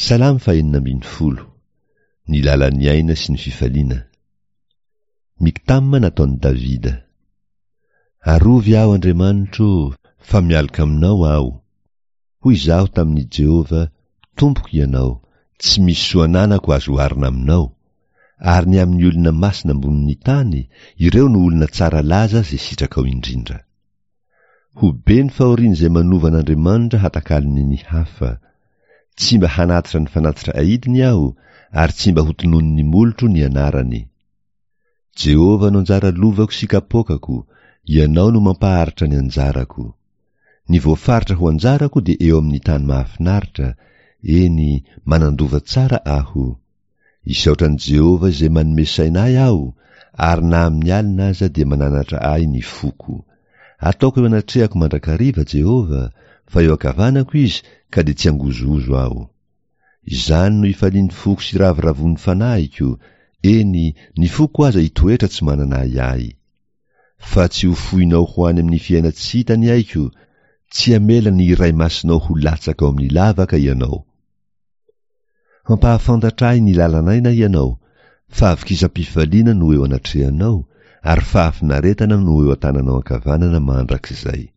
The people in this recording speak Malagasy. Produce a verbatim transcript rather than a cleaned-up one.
Salamo fahenina ambin'ny folo. Ny lalan'ny aina sy ny fifaliana. Miktama nataon'i Davida. Arovy aho, Andriamanitro ô, fa mialoka aminao aho. Hoy izaho tamin'i Jehovah, Tompoko Ianao, tsy misy soa ananako azo oharina aminao. Ary ny amin'ny olona masina ambonin'ny tany, ireo no olona tsara laza izay sitrakao indrindra. Ho be ny fahorian'izay manova an'Andriamanitra hatakalony ny hafa. Tsy mba hanatitra ny fanatitra aidiny aho, ary tsy mba hotononin'ny molotro ny anarany. Jehovah no anjara lovako sy kapoakako, Ianao no mampaharitra ny anjarako. Ny voafaritra ho anjarako dia eo amin'ny tany mahafinaritra, eny, manan-dova tsara aho. Isaotra an'i Jehovah izay manome saina ahy aho, ary na amin'ny alina aza dia mananatra ahy ny foko. Ataoko eo anatrehako mandrakariva Jehovah, fa eo ankavanako Izy ka dia tsy hangozohozo aho. Izany no ifalian'ny foko sy ravoravoan'ny fanahiko, eny, ny foko aza hitoetra tsy manana ahiahy. Fa tsy ho foinao ho any amin'ny fiainan-tsy hita ny aiko, tsy hamela ny Iray Masinao ho latsaka ao amin'ny lavaka Ianao. Hampahafantatra ahy ny lalan'aina Ianao, fahavokisam-pifaliana no eo anatrehanao, ary fahafinaretana no eo an-tananao ankavanana mandrakizay.